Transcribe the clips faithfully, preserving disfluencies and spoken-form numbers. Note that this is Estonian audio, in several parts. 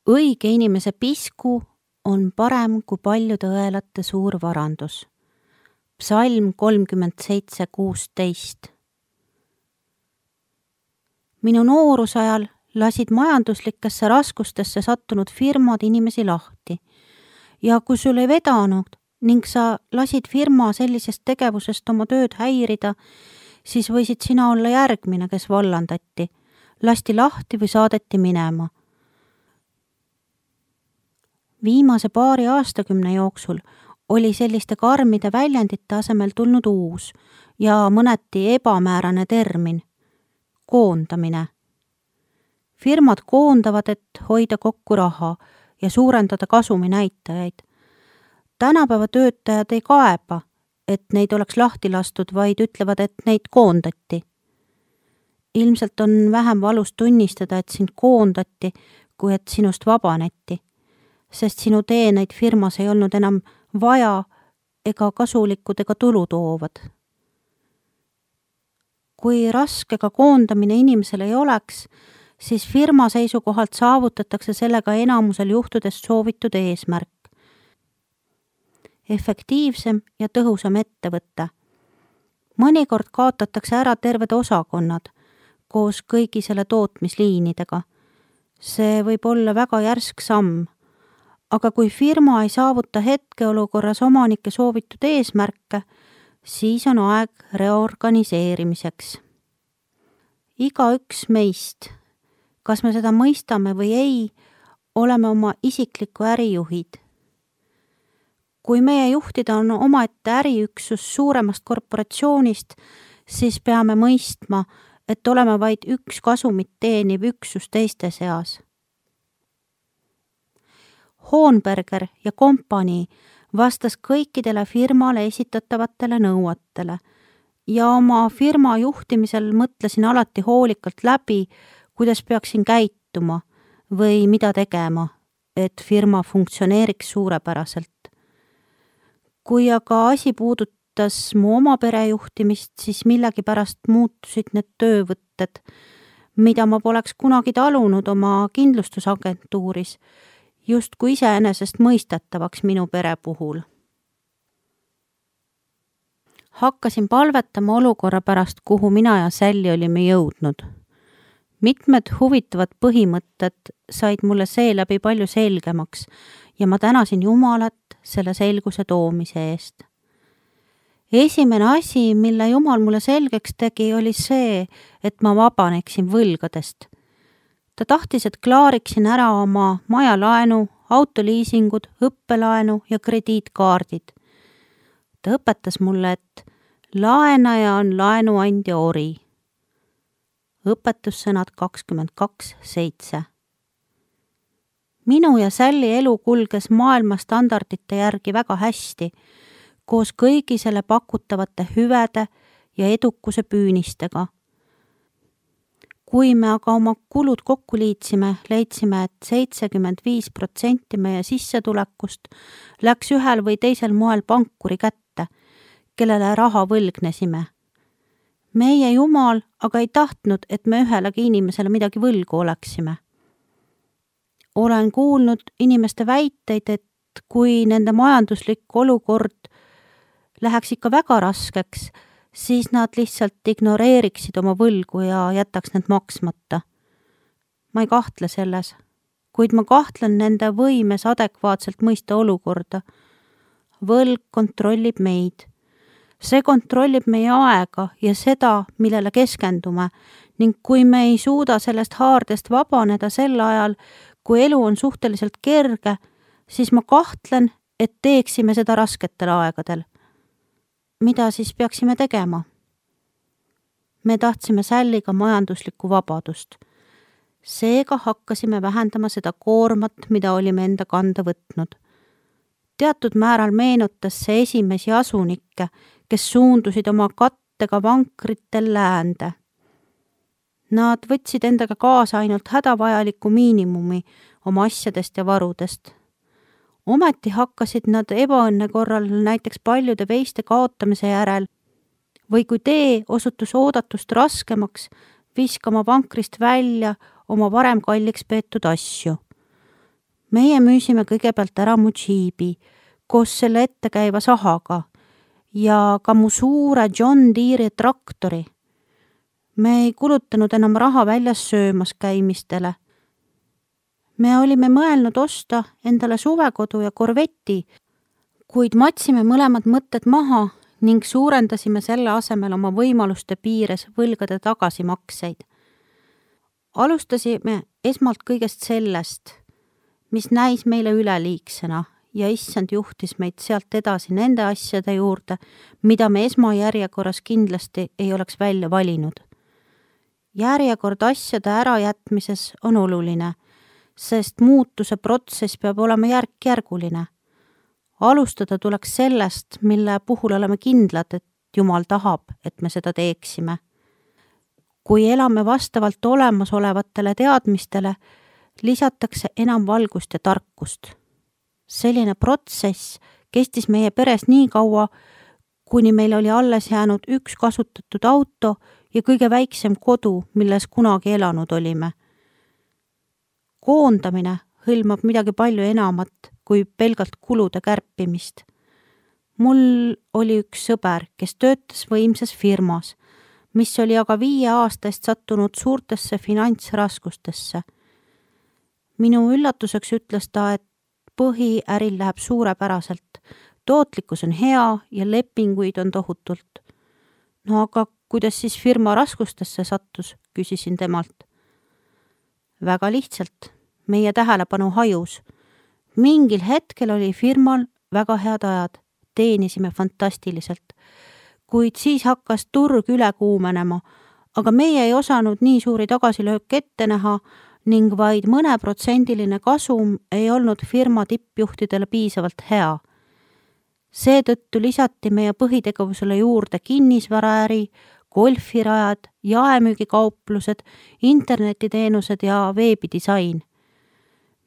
Õige inimese pisku on parem kui paljude õelate suur varandus. Psalm kolmkümmend seitse kuusteist. Minu noorusajal lasid majanduslikesse raskustesse sattunud firmad inimesi lahti ja kui sul ei vedanud ning sa lasid firma sellisest tegevusest oma tööd häirida, siis võisid sina olla järgmine, kes vallandati, lasti lahti või saadeti minema. Viimase paari aastakümne jooksul oli selliste karmide väljendite asemel tulnud uus ja mõneti ebamäärane termin – koondamine. Firmad koondavad, et hoida kokku raha ja suurendada kasumi näitajaid. Tänapäeva töötajad ei kaeba, et neid oleks lahti lastud, vaid ütlevad, et neid koondati. Ilmselt on vähem valus tunnistada, et sind koondati, kui et sinust vabaneti, sest sinu teeneid firmas ei olnud enam vaja ega kasulikud ega tulu toovad. Kui raske ka koondamine inimesel ei oleks, siis firma seisukohalt saavutatakse sellega enamusel juhtudest soovitud eesmärk. Efektiivsem ja tõhusam ettevõtte. Mõnikord kaotatakse ära terved osakonnad koos kõigi selle tootmisliinidega. See võib olla väga järsk samm, aga kui firma ei saavuta hetkeolukorras omanike soovitud eesmärke, siis on aeg reorganiseerimiseks. Igaüks meist, kas me seda mõistame või ei, oleme oma isikliku ärijuhid. Kui meie juhtida on omaette äriüksus suuremast korporatsioonist, siis peame mõistma, et oleme vaid üks kasumit teeniv üksus teiste seas. Hoonberger ja kompanii vastas kõikidele firmale esitatavatele nõuetele ja oma firma juhtimisel mõtlesin alati hoolikalt läbi, kuidas peaksin käituma või mida tegema, et firma funktsioneeriks suurepäraselt. Kui aga asi puudutas mu oma perejuhtimist, siis millegi pärast muutusid need töövõtted, mida ma poleks kunagi talunud oma kindlustusagentuuris, just kui iseenesest mõistetavaks minu pere puhul. Hakkasin palvetama olukorra pärast, kuhu mina ja Sälli olime jõudnud. Mitmed huvitavad põhimõtted said mulle seeläbi palju selgemaks ja ma tänasin Jumalat selle selguse toomise eest. Esimene asi, mille Jumal mulle selgeks tegi, oli see, et ma vabaneksin võlgadest. Ta tahtis, et klaariksin ära oma majalaenu, autoliisingud, õppelaenu ja krediitkaardid. Ta õpetas mulle, et laenaja on laenuandja ori. Õpetussõnad kakskümmend kaks seitse. Minu ja Sälli elu kulges maailma standardite järgi väga hästi, koos kõigi selle pakutavate hüvede ja edukuse püünistega. Kui me aga oma kulud kokku liitsime, leidsime, et seitsekümmend viis protsenti meie sissetulekust läks ühel või teisel moel pankuri kätte, kellele raha võlgnesime. Meie Jumal aga ei tahtnud, et me ühelegi inimesele midagi võlgu oleksime. Olen kuulnud inimeste väiteid, et kui nende majanduslik olukord läheks ikka väga raskeks, siis nad lihtsalt ignoreeriksid oma võlgu ja jätaks need maksmata. Ma ei kahtle selles, kuid ma kahtlen nende võimes adekvaatselt mõista olukorda. Võlg kontrollib meid. See kontrollib meie aega ja seda, millele keskendume, ning kui me ei suuda sellest haardest vabaneda sel ajal, kui elu on suhteliselt kerge, siis ma kahtlen, et teeksime seda rasketel aegadel. Mida siis peaksime tegema? Me tahtsime Sälliga majanduslikku vabadust. Seega hakkasime vähendama seda koormat, mida olime enda kanda võtnud. Teatud määral meenutas see esimesi asunikke, kes suundusid oma kattega vankritel läände. Nad võtsid endaga kaasa ainult hädavajaliku miinimumi oma asjadest ja varudest. Ometi hakkasid nad ebaõnne korral näiteks paljude veiste kaotamise järel või kui tee osutus oodatust raskemaks, viskama vankrist välja oma varem kalliks peetud asju. meie müüsime kõigepealt ära mu džiibi koos selle ettekäiva sahaga ja ka mu suure John Deere traktori. Me ei kulutanud enam raha väljas söömas käimistele. Me olime mõelnud osta endale suvekodu ja korveti, kuid matsime mõlemad mõtted maha ning suurendasime selle asemel oma võimaluste piires võlgade tagasimakseid. Alustasime esmalt kõigest sellest, mis näis meile üleliigsena ja issand juhtis meid sealt edasi nende asjade juurde, mida me esmajärjekorras kindlasti ei oleks välja valinud. Järjekord asjade ärajätmises on oluline, sest muutuse protsess peab olema järk-järguline. Alustada tuleks sellest, mille puhul oleme kindlad, et Jumal tahab, et me seda teeksime. Kui elame vastavalt olemasolevatele teadmistele, lisatakse enam valgust ja tarkust. Selline protsess kestis meie peres nii kaua, kuni meil oli alles jäänud üks kasutatud auto ja kõige väiksem kodu, milles kunagi elanud olime. Koondamine hõlmab midagi palju enamat kui pelgalt kulude kärpimist. Mul oli üks sõber, kes töötas võimsas firmas, mis oli aga viie aasta eest sattunud suurtesse finantsraskustesse. Minu üllatuseks ütles ta, et põhiäril läheb suurepäraselt, tootlikkus on hea ja lepinguid on tohutult. No aga kuidas siis firma raskustesse sattus, küsisin temalt. Väga lihtsalt, meie tähelepanu hajus. Mingil hetkel oli firmal väga head ajad, teenisime fantastiliselt, kuid siis hakkas turg üle kuumenema, aga meie ei osanud nii suuri tagasilöök ette näha ning vaid mõneprotsendiline kasum ei olnud firma tippjuhtidele piisavalt hea. Seetõttu lisati meie põhitegevusele juurde kinnisvaraäri, golfirajad, jaemüügikauplused, internetiteenused ja veebidisain.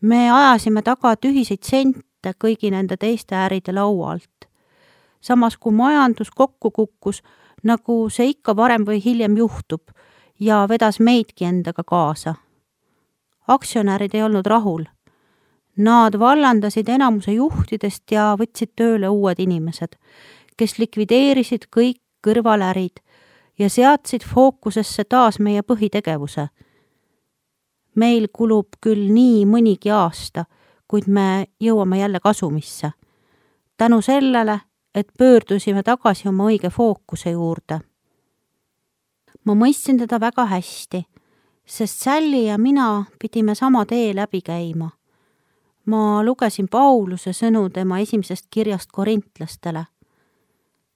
Me ajasime taga tühiseid sente kõigi nende teiste äride laua alt. Samas kui majandus kokku kukkus, nagu see ikka varem või hiljem juhtub, ja vedas meidki endaga kaasa. Aktsionärid ei olnud rahul. Nad vallandasid enamuse juhtidest ja võtsid tööle uued inimesed, kes likvideerisid kõik kõrvalärid ja seadsid fookusesse taas meie põhitegevuse. Meil kulub küll nii mõnigi aasta, kuid me jõuame jälle kasumisse. Tänu sellele, et pöördusime tagasi oma õige fookuse juurde. Ma mõistsin teda väga hästi, sest Sally ja mina pidime sama tee läbi käima. Ma lugesin Pauluse sõnu tema esimesest kirjast korintlastele,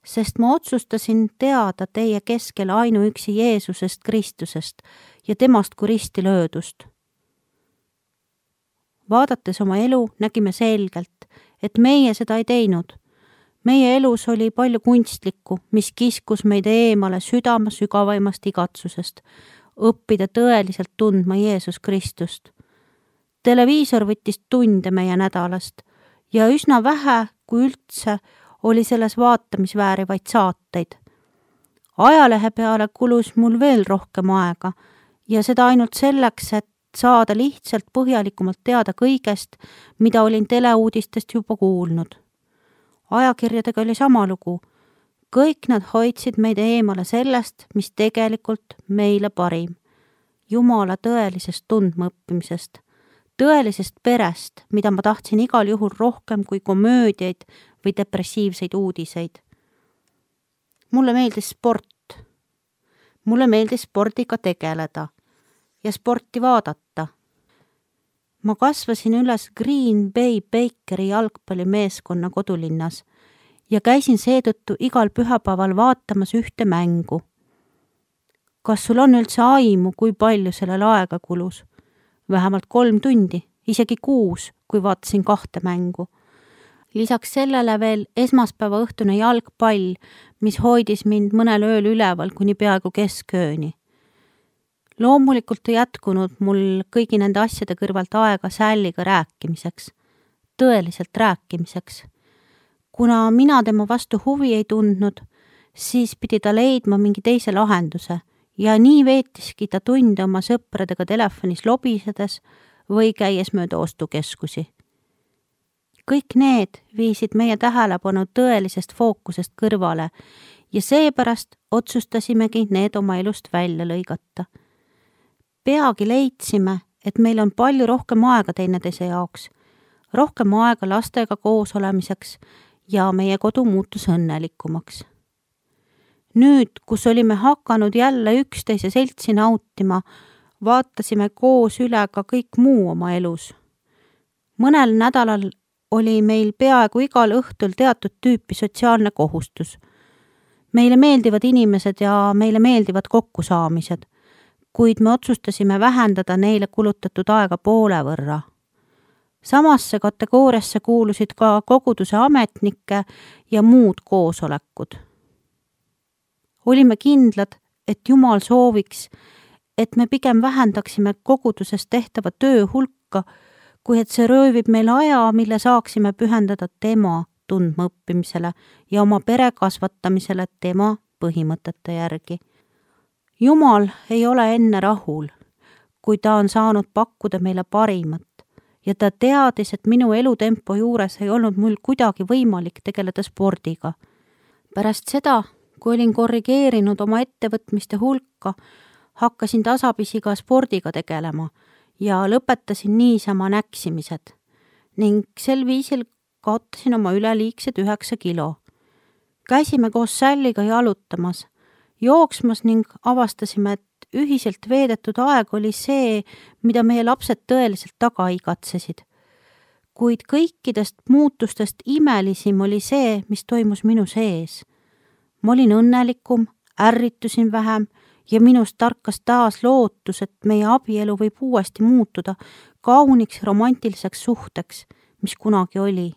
sest ma otsustasin teada teie keskel ainuüksi Jeesusest Kristusest ja temast kui risti löödust. Vaadates oma elu nägime selgelt, et meie seda ei teinud. Meie elus oli palju kunstlikku, mis kiskus meid eemale südame sügavaimast igatsusest, õppida tõeliselt tundma Jeesus Kristust. Televiisor võttis tunde meie nädalast ja üsna vähe, kui üldse, oli selles vaatamisväärivaid saateid. Ajalehe peale kulus mul veel rohkem aega ja seda ainult selleks, et saada lihtsalt põhjalikumalt teada kõigest, mida olin teleuudistest juba kuulnud. Ajakirjadega oli sama lugu. Kõik nad hoidsid meid eemale sellest, mis tegelikult meile parim. Jumala tõelisest tundmaõppimisest, tõelisest perest, mida ma tahtsin igal juhul rohkem kui komöödiaid või depressiivseid uudiseid. Mulle meeldis sport. Mulle meeldis spordiga tegeleda ja sporti vaadata. Ma kasvasin üles Green Bay Bakeri jalgpallimeeskonna kodulinnas ja käisin seetõttu igal pühapäeval vaatamas ühte mängu. Kas sul on üldse aimu, kui palju sellel aega kulus? Vähemalt kolm tundi, isegi kuus, kui vaatasin kahte mängu. Lisaks sellele veel esmaspäeva õhtune jalgpall, mis hoidis mind mõnel ööl üleval kuni peaaegu keskööni. Loomulikult ei jätkunud mul kõigi nende asjade kõrvalt aega Sallyga rääkimiseks, tõeliselt rääkimiseks. Kuna mina tema vastu huvi ei tundnud, siis pidi ta leidma mingi teise lahenduse ja nii veetiski ta tunde oma sõpradega telefonis lobisedes või käies mööda ostukeskusi. kõik need viisid meie tähelepanu tõelisest fookusest kõrvale ja seepärast otsustasimegi need oma elust välja lõigata. Peagi leidsime, et meil on palju rohkem aega teineteise jaoks, rohkem aega lastega koos olemiseks ja meie kodu muutus õnnelikumaks. Nüüd, kus olime hakanud jälle üksteise seltsi nautima, vaatasime koos üle ka kõik muu oma elus. Mõnel nädalal oli meil peaaegu igal õhtul teatud tüüpi sotsiaalne kohustus. Meile meeldivad inimesed ja meile meeldivad kokkusaamised, kuid me otsustasime vähendada neile kulutatud aega poole võrra. Samasse kategooriasse kuulusid ka koguduse ametnike ja muud koosolekud. Olime kindlad, et Jumal sooviks, et me pigem vähendaksime koguduses tehtava töö hulka, kui et see röövib meil aja, mille saaksime pühendada tema tundma õppimisele ja oma pere kasvatamisele tema põhimõtete järgi. Jumal ei ole enne rahul, kui ta on saanud pakkuda meile parimat ja ta teadis, et minu elutempo juures ei olnud mul kuidagi võimalik tegeleda spordiga. Pärast seda, kui olin korrigeerinud oma ettevõtmiste hulka, hakkasin tasapisi ka spordiga tegelema ja lõpetasin niisama näksimised ning sel viisil kaotasin oma üleliigsed üheksa kilo. Käisime koos Salliga jalutamas, jooksmas ning avastasime, et ühiselt veedetud aeg oli see, mida meie lapsed tõeliselt taga igatsesid. Kuid kõikidest muutustest imelisim oli see, mis toimus minu sees. Ma olin õnnelikum, ärritusin vähem ja minust tarkas taas lootus, et meie abielu võib uuesti muutuda kauniks romantiliseks suhteks, mis kunagi oli.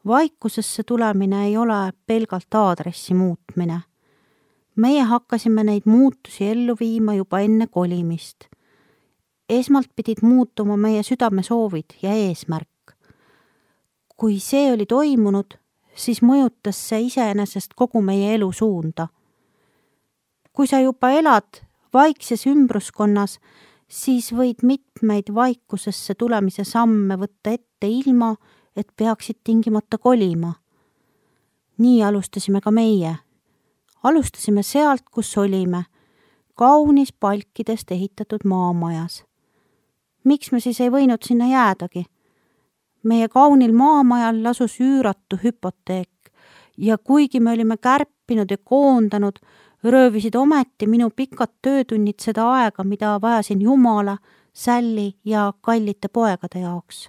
Vaikusesse tulemine ei ole pelgalt aadressi muutmine. Meie hakkasime neid muutusi ellu viima juba enne kolimist. Esmalt pidid muutuma meie südamesoovid ja eesmärk. Kui see oli toimunud, siis mõjutas see iseenesest kogu meie elu suunda. Kui sa juba elad vaikses ümbruskonnas, siis võid mitmeid vaikusesse tulemise samme võtta ette ilma, et peaksid tingimata kolima. Nii alustasime ka meie. Alustasime sealt, kus olime, kaunis palkidest ehitatud maamajas. Miks me siis ei võinud sinna jäädagi? Meie kaunil maamajal lasus üüratu hüpoteek ja kuigi me olime kärpinud ja koondanud, röövisid ometi minu pikad töötunnid seda aega, mida vajasin Jumala, Salli ja kallite poegade jaoks.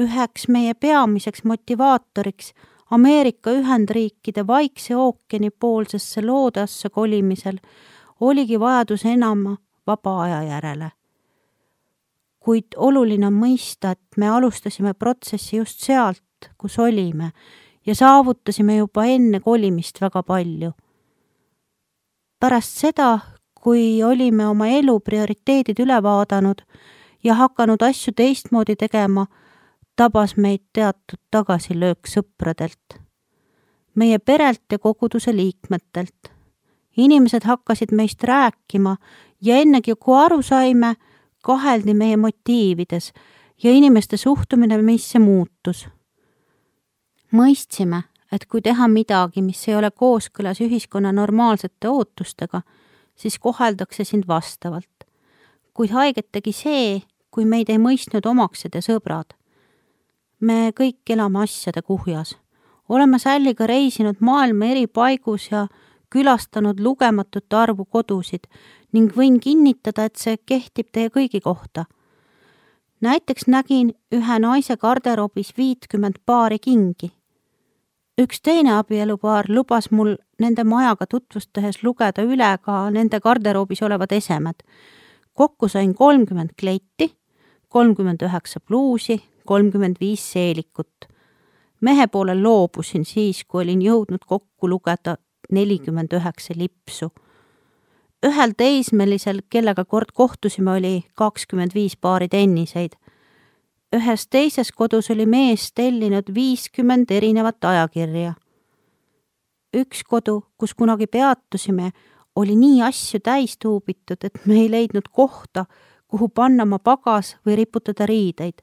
Üheks meie peamiseks motivaatoriks Ameerika Ühendriikide Vaikse ookeani poolsesse loodasse kolimisel oligi vajadus enam vaba aja järele. Kuid oluline on mõista, et me alustasime protsessi just sealt, kus olime ja saavutasime juba enne kolimist väga palju. Pärast seda, kui olime oma elu prioriteedid üle vaadanud ja hakanud asju teistmoodi tegema, tabas meid teatud tagasilöök sõpradelt, meie perelt ja koguduse liikmetelt. Inimesed hakkasid meist rääkima ja ennegi, kui aru saime, kaheldi meie motiivides ja inimeste suhtumine meisse muutus. Mõistsime, et kui teha midagi, mis ei ole kooskõlas ühiskonna normaalsete ootustega, siis koheldakse sind vastavalt. Kuid haiget tegi see, kui meid ei mõistnud omaksed ja sõbrad. Me kõik elame asjade kuhjas. Oleme Salliga reisinud maailma eri paigus ja külastanud lugematut arvu kodusid ning võin kinnitada, et see kehtib teie kõigi kohta. Näiteks nägin ühe naise garderoobis viitkümmend paari kingi. Üks teine abielupaar lubas mul nende majaga tutvustades lugeda üle ka nende garderoobis olevad esemed. Kokku sain kolmkümmend kleiti, kolmkümmend üheksa pluusi, kolmkümmend viis seelikut. Mehe poole loobusin siis, kui olin jõudnud kokku lugeda nelikümmend üheksa lipsu. Ühel teismelisel, kellega kord kohtusime, oli kakskümmend viis paari tenniseid. Ühes teises kodus oli mees tellinud viiskümmend erinevat ajakirja. Üks kodu, kus kunagi peatusime, oli nii asju täis tuubitud, et me ei leidnud kohta, kuhu panna oma pagas või riputada riideid.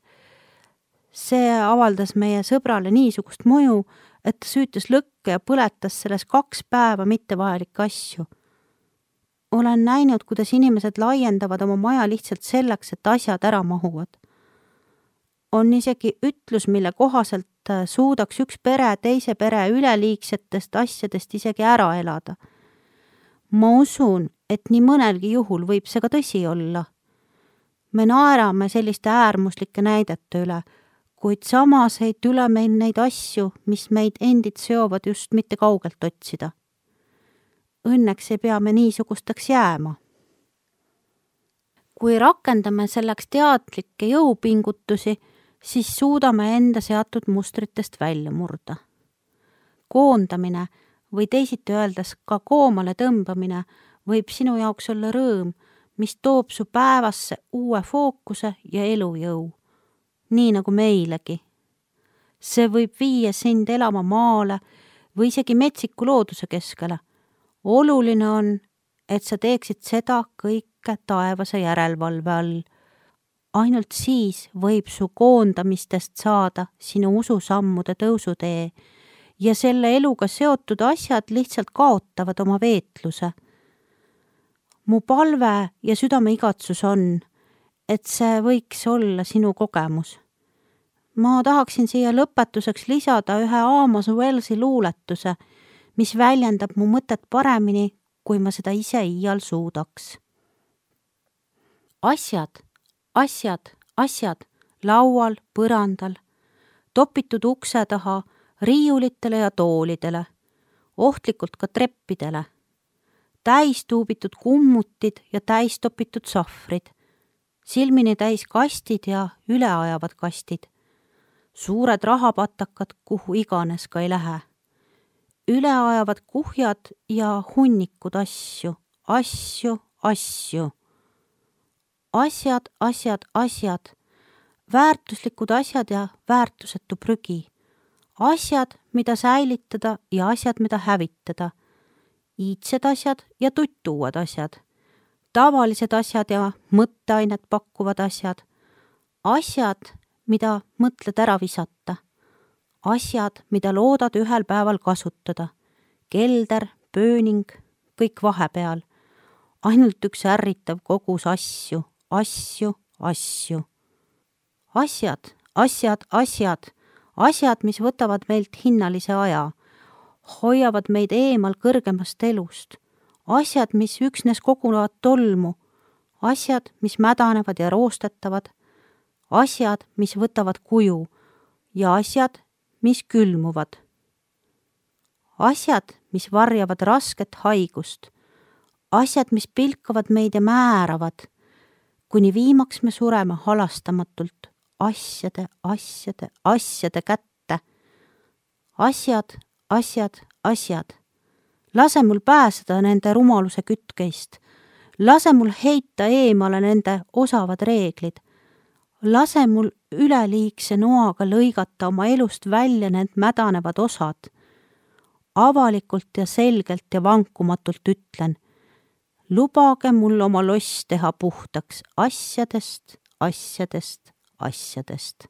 See avaldas meie sõbrale niisugust mõju, et ta süütas lõkke ja põletas selles kaks päeva mittevajalikke asju. Olen näinud, kuidas inimesed laiendavad oma maja lihtsalt selleks, et asjad ära mahuvad. On isegi ütlus, mille kohaselt suudaks üks pere teise pere üleliigsetest asjadest isegi ära elada. Ma usun, et nii mõnelgi juhul võib see ka tõsi olla. Me naerame selliste äärmuslike näidete üle, kuid samas ei tule meil neid asju, mis meid endid seovad just mitte kaugelt otsida. Õnneks ei pea me niisugusteks jääma. Kui rakendame selleks teadlikke jõupingutusi, siis suudame enda seatud mustritest välja murda. Koondamine või teisiti öeldes ka koomale tõmbamine võib sinu jaoks olla rõõm, mis toob su päevasse uue fookuse ja elujõu, nii nagu meilegi. See võib viia sind elama maale või isegi metsiku looduse keskele. Oluline on, et sa teeksid seda kõike taevase järelevalve all. Ainult siis võib su koondamistest saada sinu ususammude tõusutee ja selle eluga seotud asjad lihtsalt kaotavad oma veetluse. Mu palve ja südame igatsus on, et see võiks olla sinu kogemus. Ma tahaksin siia lõpetuseks lisada ühe Amos Wellsi luuletuse, mis väljendab mu mõtet paremini, kui ma seda ise iial suudaks. Asjad, asjad, asjad, laual, põrandal, topitud ukse taha, riiulitele ja toolidele, ohtlikult ka treppidele, täis tuubitud kummutid ja täis topitud sahvrid, silmini täis kastid ja üleajavad kastid, suured rahapatakad, kuhu iganes ka ei lähe, üleajavad kuhjad ja hunnikud asju, asju, asju. Asjad, asjad, asjad, väärtuslikud asjad ja väärtusetu prügi, asjad, mida säilitada ja asjad, mida hävitada, iidsed asjad ja tuttuued asjad, tavalised asjad ja mõtteainet pakkuvad asjad, asjad, mida mõtled ära visata, asjad, mida loodad ühel päeval kasutada, kelder, pööning, kõik vahepeal, ainult üks ärritav kogus asju, asju, asju. Asjad, asjad, asjad, asjad, mis võtavad meilt hinnalise aja, hoiavad meid eemal kõrgemast elust, asjad, mis üksnes kogunevad tolmu, asjad, mis mädanevad ja roostetavad, asjad, mis võtavad kuju ja asjad, mis külmuvad. Asjad, mis varjavad rasket haigust, asjad, mis pilkavad meid ja määravad, kuni viimaks me sureme halastamatult asjade, asjade, asjade kätte. Asjad, asjad, asjad. Lase mul pääseda nende rumaluse kütkeist. Lase mul heita eemale nende osavad reeglid. Lase mul üleliigse noaga lõigata oma elust välja need mädanevad osad. Avalikult ja selgelt ja vankumatult ütlen, lubage mul oma loss teha puhtaks asjadest, asjadest, asjadest.